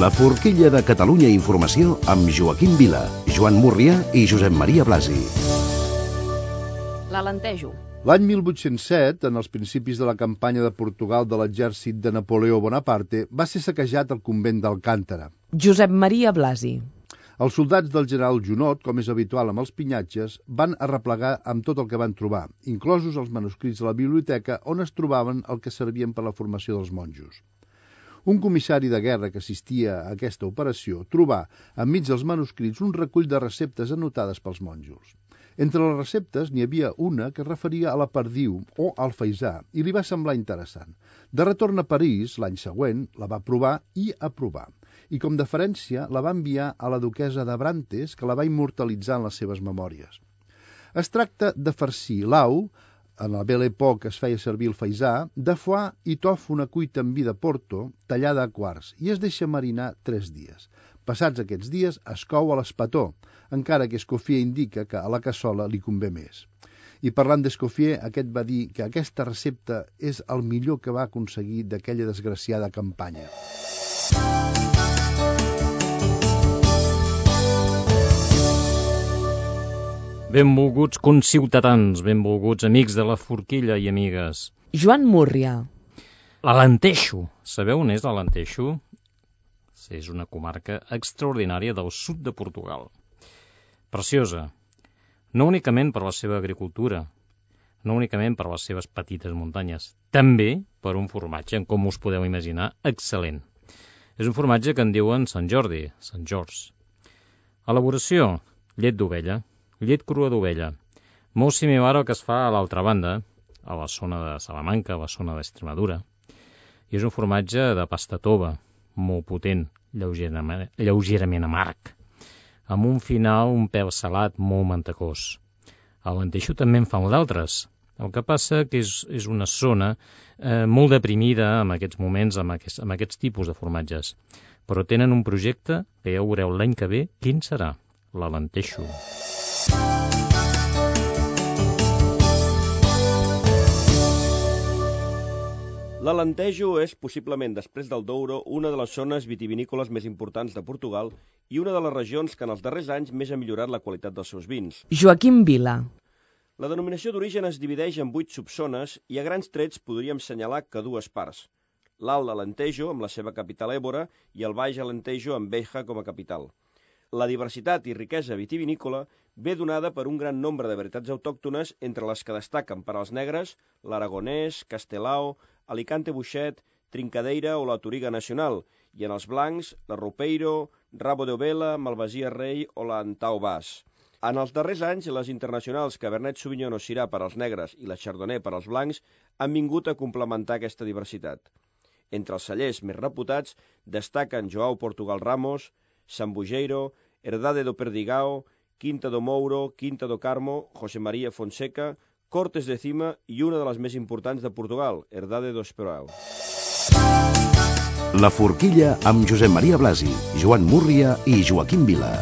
La forquilla de Catalunya Informació amb Joaquim Vila, Joan Múrria i Josep Maria Blasi. L'Alentejo. L'any 1807, en els principis de la campanya de Portugal de l'exèrcit de Napoleó Bonaparte, va ser saquejat el convent d'Alcántara. Josep Maria Blasi. Els soldats del general Junot, com és habitual amb els pinyatges, van arreplegar amb tot el que van trobar, inclosos els manuscrits de la biblioteca on es trobaven el que servien per la formació dels monjos. Un comissari de guerra que assistia a aquesta operació trobà, enmig dels manuscrits, un recull de receptes anotades pels monjos. Entre les receptes n'hi havia una que es referia a la perdiu o al faisà i li va semblar interessant. De retorn a París, l'any següent, la va provar i aprovar. I com deferència la va enviar a la duquessa d'Abrantes, que la va immortalitzar en les seves memòries. Es tracta de farcir l'au, en la Belle Époque es feia servir el faisà, de foie i tòfona cuita amb vi de Porto, tallada a quarts, i es deixa marinar 3 dies. Passats aquests dies es cou a l'espató, encara que Escoffier indica que a la cassola li convé més. I parlant d'Escoffier, aquest va dir que aquesta recepta és el millor que va aconseguir d'aquella desgraciada campanya. Benvolguts conciutadans, benvolguts amics de la forquilla i amigues. Joan Múrria. L'Alentejo. Sabeu on és l'Alentejo? És una comarca extraordinària del sud de Portugal. Preciosa. No únicament per la seva agricultura, no únicament per les seves petites muntanyes, també per un formatge, com us podeu imaginar, excel·lent. És un formatge que en diuen Sant Jordi, Sant George. Elaboració, llet d'ovella. Llet crua d'ovella, molt similar al que es fa a l'altra banda, a la zona de Salamanca, a la zona d'Extremadura. I és un formatge de pasta tova, molt potent, lleugerament amarg, amb un final un pèl salat molt mantecós. A l'Alentejo també en fan d'altres. El que passa que és una zona molt deprimida en aquests moments amb aquests tipus de formatges. Però tenen un projecte que ja veureu l'any que ve quin serà, l'Alentejo. L'Alentejo és, possiblement després del Douro, una de les zones vitivinícoles més importants de Portugal i una de les regions que en els darrers anys més ha millorat la qualitat dels seus vins. Joaquim Vila. La denominació d'origen es divideix en 8 subzones i a grans trets podríem assenyalar que 2 parts. L'Alt Alentejo, amb la seva capital Évora, i el Baix Alentejo, amb Beja com a capital. La diversitat i riquesa vitivinícola ve donada per un gran nombre de varietats autòctones, entre les que destaquen per als negres l'aragonès, castelao, Alicante Buixet, Trincadeira o la Touriga Nacional, i en els blancs la Roupeiro, Rabo de Ovella, Malvasia Rei o la Antau Bas. En els darrers anys, les internacionals Cabernet Sauvignon o Syrah per als negres i la Chardonnay per als blancs han vingut a complementar aquesta diversitat. Entre els cellers més reputats destaquen João Portugal Ramos, Sambujeiro, Herdade do Perdigão, Quinta do Mouro, Quinta do Carmo, José María Fonseca, Cortes de Cima i una de les més importants de Portugal, Herdade do Estoril. La forquilla amb Josep Maria Blasi, Joan Múrria i Joaquim Vila.